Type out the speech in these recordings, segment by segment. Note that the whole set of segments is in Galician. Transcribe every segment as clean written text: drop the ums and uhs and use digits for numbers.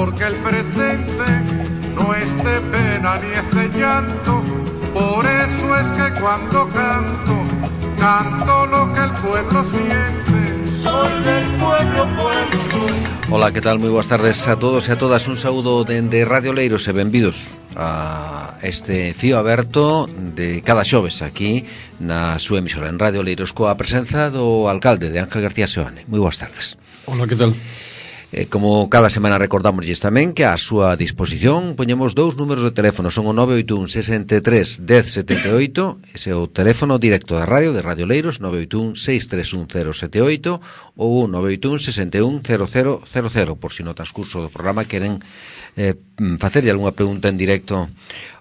porque el presente no es de pena ni es de llanto. Por eso es que cuando canto, canto lo que el pueblo siente. Soy del pueblo, pueblo soy. Ola, que tal? Moi boas tardes a todos e a todas. Un saúdo dende Radio Leiros e benvidos a este fío aberto de cada xoves aquí na súa emisora en Radio Leiros coa presenza do alcalde de Ángel García Seoane. Moi boas tardes. Ola, que tal? Como cada semana recordámosles tamén que a súa disposición poñemos dous números de teléfono, son o 981 63 10 78, ese é o teléfono directo da radio, de Radio Leiros, 981 631 078 ou 981 61 0000, por si no transcurso do programa queren facerlle algunha pregunta en directo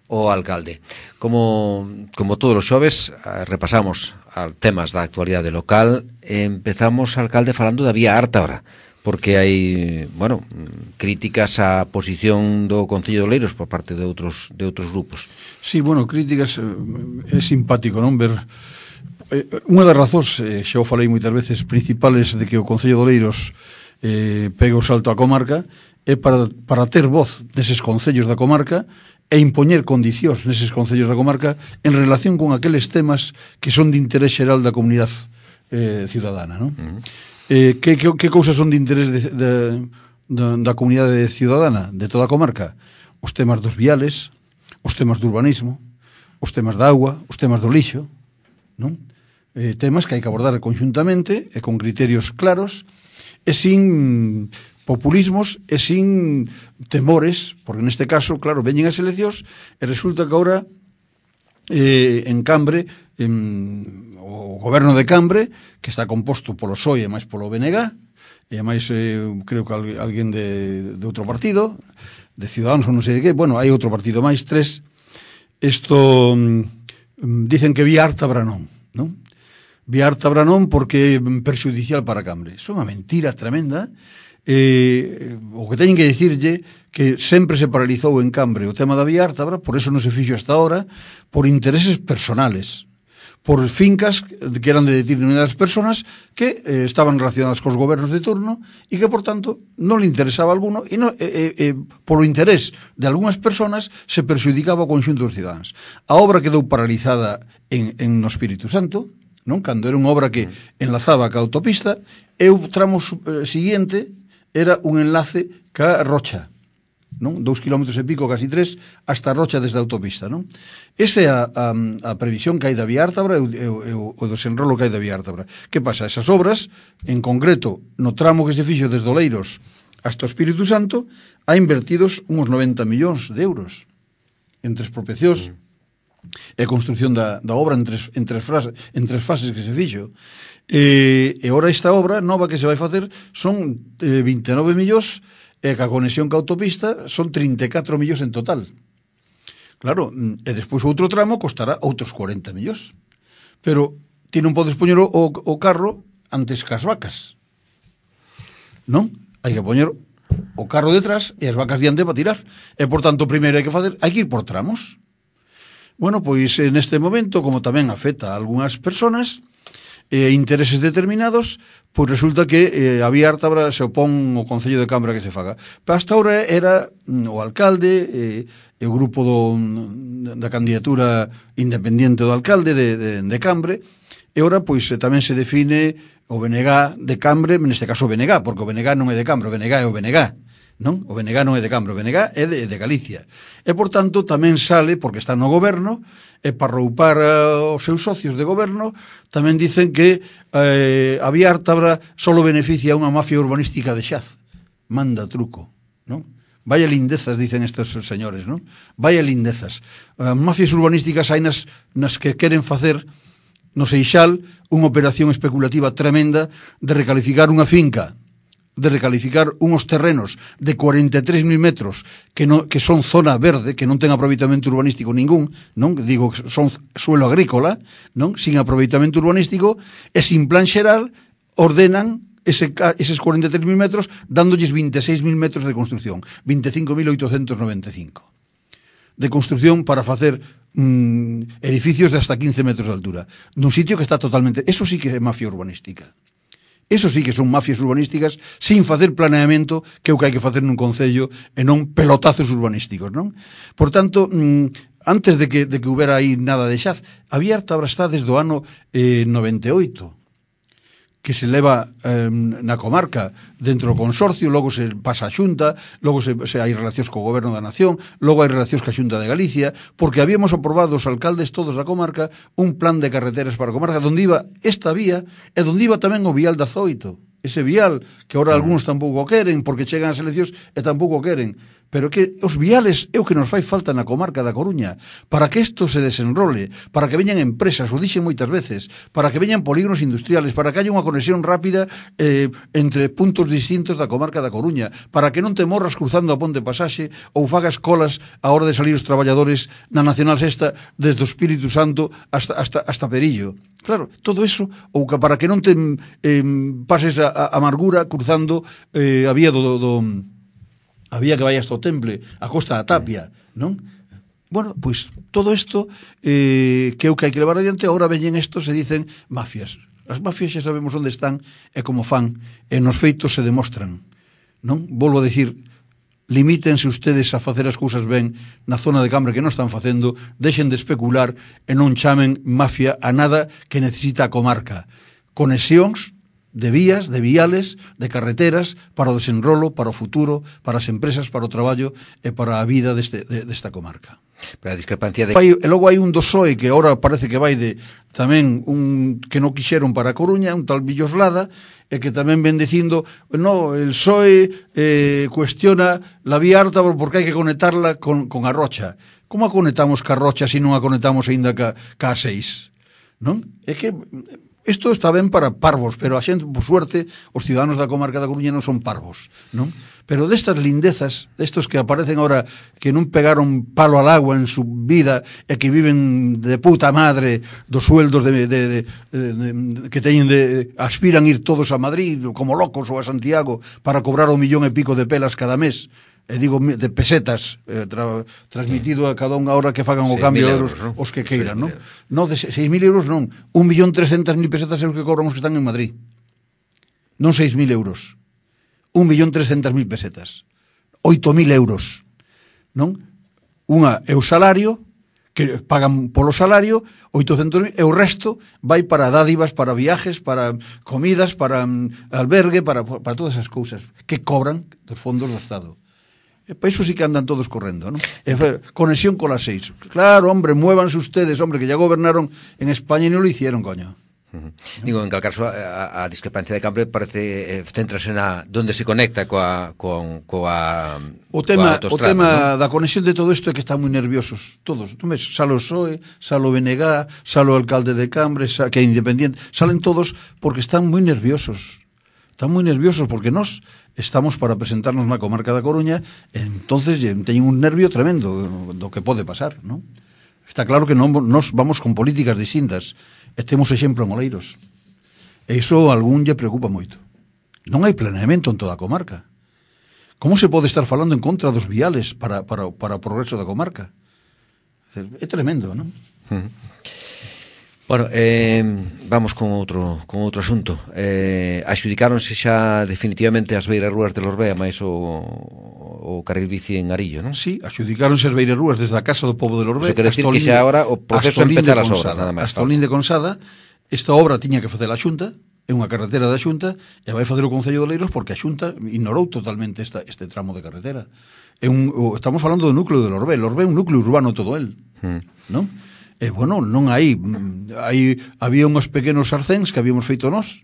ao alcalde. Como todos os xoves, repasamos temas da actualidade local. Empezamos, alcalde, falando da vía Ártabra, porque hai, críticas á posición do Concello de Oleiros por parte de outros grupos. Sí, críticas, é simpático, non, ver unha das razóns, xa o falei moitas veces, principales de que o Concello de Oleiros pegue o salto á comarca é para ter voz neses concellos da comarca e impoñer condicións neses concellos da comarca en relación con aqueles temas que son de interés xeral da comunidade ciudadana, non? Que cousas son de interés da comunidade ciudadana de toda a comarca? Os temas dos viales, os temas do urbanismo, os temas da auga, os temas do lixo, non? Temas que hai que abordar conxuntamente e con criterios claros e sin populismos e sin temores, porque neste caso, claro, veñen as eleccións e resulta que agora en Cambre, o goberno de Cambre, que está composto polo PSOE e máis polo BNG, e máis creo que alguén de outro partido, de Ciudadanos ou non sei de que, hai outro partido máis, tres. Isto dicen que vía Ártabra non? Vía Ártabra non porque é perxudicial para Cambre. Iso é unha mentira tremenda. O que teñen que dicirlle que sempre se paralizou en Cambre o tema da vía Ártabra, por eso non se fixo hasta ahora, por intereses personales, por fincas que eran de determinadas personas que estaban relacionadas cos gobernos de turno e que, por tanto, non le interesaba a alguno e polo interés de algunhas personas se perxudicaba o conxunto dos cidadáns. A obra quedou paralizada no Espírito Santo, non? Cando era unha obra que enlazaba ca autopista e o tramo siguiente era un enlace ca Rocha, non? 2 kilómetros e pico, casi 3, hasta Rocha desde a autopista, non? Esa é a previsión que hai da vía Ártabra e o desenrolo que hai da vía Ártabra. Que pasa? Esas obras, en concreto, no tramo que se fixo desde Oleiros hasta o Espírito Santo, ha invertidos uns 90 millóns de euros entre expropiacións e a construción da obra en tres fases que se fixo. E ora esta obra nova que se vai facer son 29 millóns e ca conexión ca autopista son 34 millóns en total. Claro, e despois outro tramo costará outros 40 millóns. Pero ti non podes poñer o carro antes cas vacas, non? Hai que poñer o carro detrás e as vacas diante para tirar. E, por tanto, primeiro hai que ir por tramos. Pois neste momento, como tamén afecta a algunhas personas intereses determinados, pois resulta que a vía Ártabra se opón o Concello de Cambre que se faga. Pero hasta ahora era o alcalde e o grupo da candidatura independiente do alcalde de Cambre, e ahora pois tamén se define o BNG de Cambre, neste caso o BNG, porque o BNG non é de Cambre, o BNG é o BNG, non? O BNG non é de Cambre, o BNG é de Galicia. E, por tanto, tamén sale, porque está no goberno, e para roupar os seus socios de goberno, tamén dicen que a vía Ártabra só beneficia a unha mafia urbanística de Xaz. Manda truco, non? Vaya lindezas, dicen estes señores, non? Vaya lindezas. Mafias urbanísticas hai nas que queren facer no Seixal unha operación especulativa tremenda de recalificar unha finca, de recalificar unhos terrenos de 43.000 metros que son zona verde, que non ten aproveitamento urbanístico ningún, non? Digo que son suelo agrícola, non? Sin aproveitamento urbanístico e sin plan xeral ordenan eses 43.000 metros dándolles 26.000 metros de construcción, 25.895 de construcción para facer edificios de hasta 15 metros de altura nun sitio que está totalmente... Eso sí que é mafia urbanística. Eso sí que son mafias urbanísticas sin facer planeamento, que é o que hai que facer nun concello, e non pelotazos urbanísticos, non? Por tanto, antes de que houbera aí nada de Xaz, había harta brastá desde o ano 98, que se leva na comarca dentro do consorcio, logo se pasa a Xunta, logo se hai relacións co Goberno da Nación, logo hai relacións ca Xunta de Galicia, porque habíamos aprobado os alcaldes todos da comarca un plan de carreteras para a comarca, donde iba esta vía e donde iba tamén o vial da Zoito. Ese vial que ahora algúns tampouco queren porque chegan as eleccións e tampouco queren. Pero que os viales é o que nos fai falta na comarca da Coruña, para que isto se desenrole, para que veñan empresas, o dixen moitas veces, para que veñan polígonos industriales, para que haya unha conexión rápida entre puntos distintos da comarca da Coruña, para que non te morras cruzando a Ponte Pasaxe ou fagas colas a hora de salir os traballadores na Nacional Sexta desde o Espírito Santo hasta Perillo. Claro, todo eso, ou que para que non te pases a amargura cruzando a vía a vía que vai hasta o Temple, a Costa da Tapia, non? Bueno, pois todo isto que é o que hai que levar adiante, agora veñen estos e dicen mafias. As mafias xa sabemos onde están e como fan, e nos feitos se demostran, non? Volvo a dicir, limítense ustedes a facer as cousas ben na zona de Cambre que non están facendo, deixen de especular e non chamen mafia a nada que necesita a comarca. Conexións de vías, de viales, de carreteras para o desenrolo, para o futuro, para as empresas, para o traballo e para a vida desta comarca. Pero a discrepancia de... E logo hai un do PSOE que agora parece que vai de tamén un que non quixeron para a Coruña, un tal Villoslada, e que tamén ven dicindo, no, el PSOE cuestiona la vía alta porque hai que conectarla con a Rocha. Como a conectamos ca Rocha se non a conectamos aínda ca A6? Non? É que isto está ben para parvos, pero a xente, por suerte, os ciudadanos da comarca da Coruña non son parvos, non? Pero destas lindezas, destos que aparecen ahora que non pegaron palo al agua en su vida e que viven de puta madre dos sueldos que teñen aspiran ir todos a Madrid como locos ou a Santiago para cobrar 1,5 millón de pelas cada mes, e digo de pesetas, transmitido a cada unha hora que fagan o cambio de euros, ¿no? Os que queiran, non? Non, de 6.000 euros non, 1.300.000 pesetas é o que cobramos que están en Madrid, non 6.000 euros, 1.300.000 pesetas, 8.000 euros, non? Unha é o salario, que pagan polo salario, 800.000, e o resto vai para dádivas, para viajes, para comidas, para albergue, para todas esas cousas que cobran dos fondos do Estado. E para iso sí que andan todos correndo, ¿no? Conexión con las 6. Claro, hombre, muévanse ustedes, hombre, que ya gobernaron en España e non lo hicieron, coño. Digo, en cal caso a discrepancia de Cambre parece centrase na donde se conecta coa o tema ¿no? Da conexión de todo isto é que están moi nerviosos todos. Tú ves, sale o PSOE, sale o BNG, sale o alcalde de Cambre, que é independiente, salen todos porque están moi nerviosos. Están moi nerviosos porque nós estamos para presentarnos na comarca da Coruña, entonces teñen un nervio tremendo do que pode pasar, non? Está claro que nos vamos con políticas distintas e temos exemplo en Oleiros. E iso a algún lle preocupa moito. Non hai planeamento en toda a comarca. Como se pode estar falando en contra dos viales para o progreso da comarca? É tremendo, non? Bueno, vamos con outro asunto. Axudicáronse xa definitivamente as beirarrúas de Lorbea máis o carril bici en Arillo, non? Sí, axudicáronse as beirarrúas desde a Casa do Pobo de Lorbea. Iso quere decir que xa agora o proceso empezar as obras, nada máis. Hasta o Lín de Consada, esta obra tiña que facer a Xunta, é unha carretera da Xunta, e vai facer o Concello de Oleiros porque a Xunta ignorou totalmente este tramo de carretera. Estamos falando do núcleo de Lorbea. Lorbea é un núcleo urbano todo el, non? E, bueno, non había uns pequenos arcéns que habíamos feito nós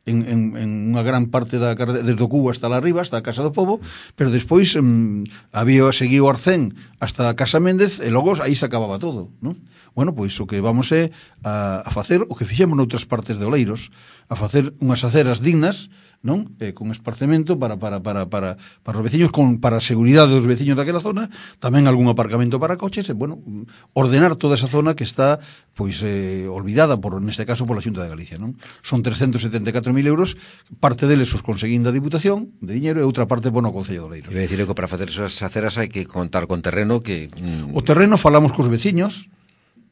en unha gran parte da carretera, desde o Cubo hasta lá arriba, hasta a Casa do Pobo, pero despois seguiu o arcén hasta a Casa Méndez e logo aí se acababa todo, non? Bueno, pois o que vamos é a facer o que fixemos noutras partes de Oleiros, a facer unhas aceras dignas, non? Con esparcemento para os veciños, para a seguridade dos veciños daquela zona, tamén algún aparcamento para coches, e, bueno, ordenar toda esa zona que está, pois, olvidada, neste caso, pola Xunta de Galicia, non? Son 374.000 euros, parte deles os conseguín da Diputación, de diñeiro, e outra parte, bueno, o Concello de Oleiros. Iba a dicir que para facer esas aceras hai que contar con terreno que... O terreno falamos cos veciños,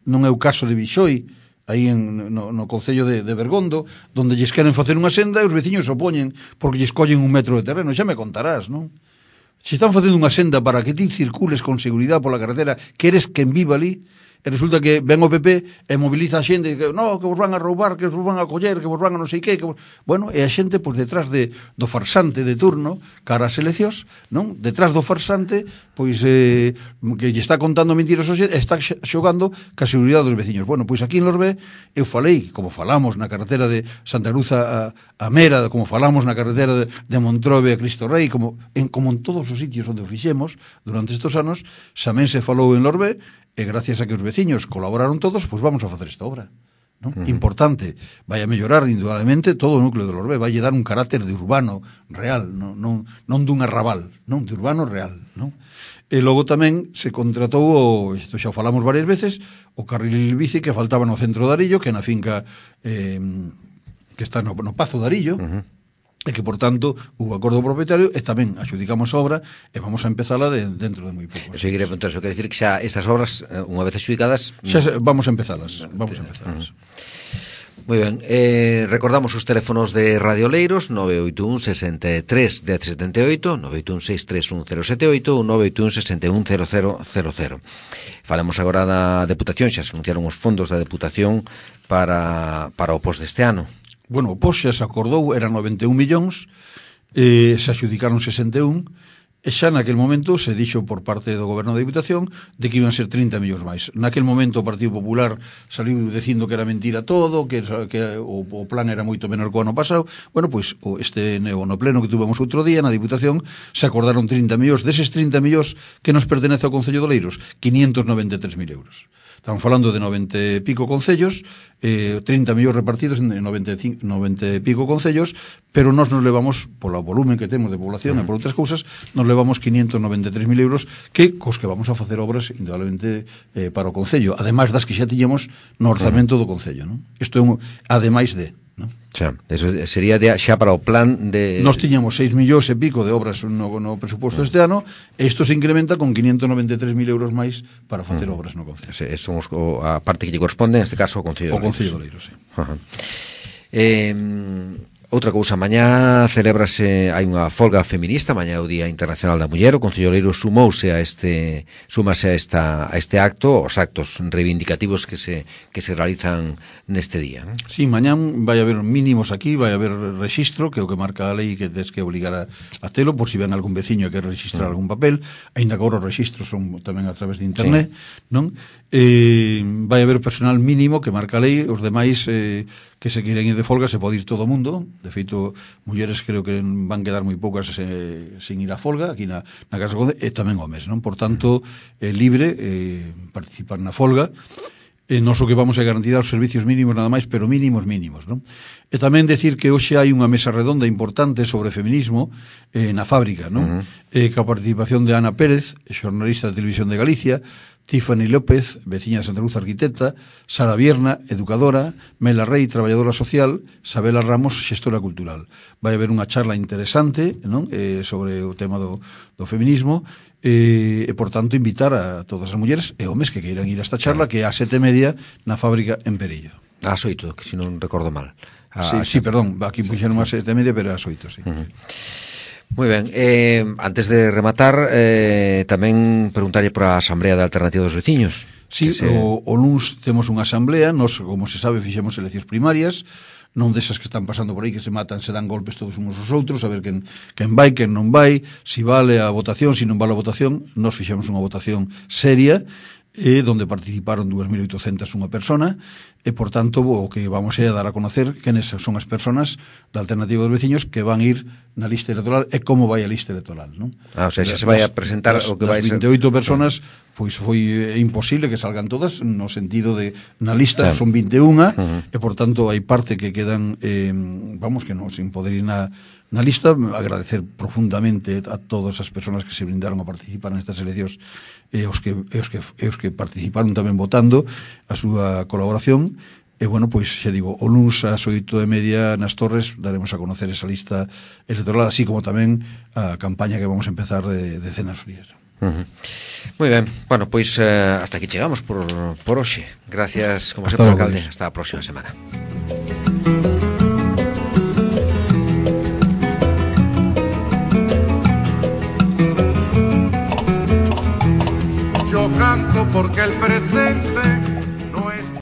non é o caso de Bixoi, aí no concello de Bergondo, donde lles queren facer unha senda e os veciños se opoñen porque lles collen 1 metro de terreno, xa me contarás, non? Se están facendo unha senda para que ti circules con seguridade pola carretera, que eres quen viva ali, e resulta que ven o PP e moviliza a xente que, no, que vos van a roubar, que vos van a coller, que vos van a non sei que bueno, e a xente, pois, detrás do farsante de turno, cara ás eleccións, non? Detrás do farsante, pois, que lle está contando mentiras ao xente, está xogando ca seguridade dos veciños. Bueno, pois aquí en Lorbé, eu falei, como falamos na carretera de Santa Cruz a Mera, como falamos na carretera de Montrove a Cristo Rei, como en todos os sitios onde o fixemos durante estes anos, tamén se falou en Lorbé, e gracias a que os veciños colaboraron todos, pois vamos a facer esta obra, non? Importante, vai a mellorar indudablemente todo o núcleo de Lorbé, vai a dar un carácter de urbano real, non dun arrabal, non, de urbano real, non? E logo tamén se contratou, isto xa o falamos varias veces, o carril bici que faltaba no centro de Arillo, que na finca que está no Pazo de Arillo, e que, por tanto, hubo acordo propietario e tamén adjudicamos a obra e vamos a empezala dentro de moi pouco. Eso quere dicir que xa estas obras, unha vez adjudicadas... Xa vamos a empezalas, Moi ben, recordamos os teléfonos de Radio Leiros, 981 63 1078, 981 631 078 ou 981 61 0000. Falamos agora da Deputación, xa se anunciaron os fondos da Deputación para o POS deste ano. Bueno, o POS xa se acordou, eran 91 millóns, se adjudicaron 61, e xa naquel momento se dixo por parte do Goberno da Diputación de que iban a ser 30 millóns máis. Naquel momento o Partido Popular saliu dicindo que era mentira todo, que o plan era moito menor que o ano pasado. Bueno, pois no pleno que tuvemos outro día na Diputación se acordaron 30 millóns, deses 30 millóns que nos pertenece ao Concello de Oleiros, 593.000 euros. Estamos falando de 90 e pico concellos, 30 millóns repartidos en 90 e pico concellos, pero nos levamos, polo volumen que temos de población e por outras cousas, nos levamos 593.000 euros cos que vamos a facer obras indudablemente para o concello, ademais das que xa tiñamos no orzamento do concello, non? Isto é ademais de, non? Xa, eso sería xa para o plan de... Nos tiñamos 6 millóns e pico de obras no presuposto este ano, e isto se incrementa con 593.000 euros máis para facer obras no concello. Somos a parte que lle corresponde, neste caso, ao Concello de Oleiros. O Concello de Oleiros, sí. Outra cousa, mañá celebrase, hai unha folga feminista, mañá é o Día Internacional da Muller, o Concello de Oleiros súmase a este acto, os actos reivindicativos que se realizan neste día, non? Sí, mañán vai haber mínimos aquí, vai haber rexistro, que é o que marca a lei que tens que obligar a telo, por si ven algún veciño que registrar algún papel, aínda que agora os registros son tamén a través de internet, non? Vai haber personal mínimo que marca a lei, os demais que se queren ir de folga se pode ir todo o mundo. De feito, mulleres creo que van quedar moi poucas sin ir a folga aquí na Casa Conde, e tamén homes, non? Por tanto, libre participar na folga. Nos o que vamos a garantir os servicios mínimos nada máis, pero mínimos, non? E tamén decir que hoxe hai unha mesa redonda importante sobre feminismo na fábrica, non? Ca participación de Ana Pérez, xornalista de Televisión de Galicia, Tiffany López, veciña de Santa Cruz, arquitecta, Sara Vierna, educadora, Mela Rey, traballadora social, Sabela Ramos, xestora cultural. Vai haber unha charla interesante, non? Sobre o tema do feminismo, e, por tanto, invitar a todas as mulleres e homes que queiran ir a esta charla, que é a 7:30 na fábrica en Perillo. Ás 8, que se non recordo mal. Sí, perdón, aquí puxeron a 7:30, pero ás 8, sí. Moi ben, antes de rematar, tamén preguntarlle para a Asamblea de Alternativa dos Veciños. Sí, o luns temos unha asamblea, nos, como se sabe, fixemos eleccións primarias, non desas que están pasando por aí, que se matan, se dan golpes todos uns aos outros, a ver quen vai, quen non vai, si vale a votación, si non vale a votación. Nos fixemos unha votación seria, donde participaron 2.801 persona, e, por tanto, o que vamos a dar a conocer quenes son as persoas da Alternativa dos Veciños que van ir na lista electoral e como vai a lista electoral, non? O sea, xa se vai a presentar o que vai ser... 28 personas, pois foi imposible que salgan todas, no sentido de, na lista son 21, e, por tanto, hai parte que quedan, vamos, que non, sin poder ir na lista. Agradecer profundamente a todas as persoas que se brindaron a participar nestas eleccións, e os que participaron tamén votando a súa colaboración. E, bueno, pois, xa digo, o luns ás 8:30 nas Torres daremos a conocer esa lista electoral, así como tamén a campaña que vamos a empezar de cenas frías. Moi ben, bueno, pois hasta aquí chegamos por hoxe. Gracias, como sempre, alcalde. Hasta a próxima semana. Yo canto porque el presente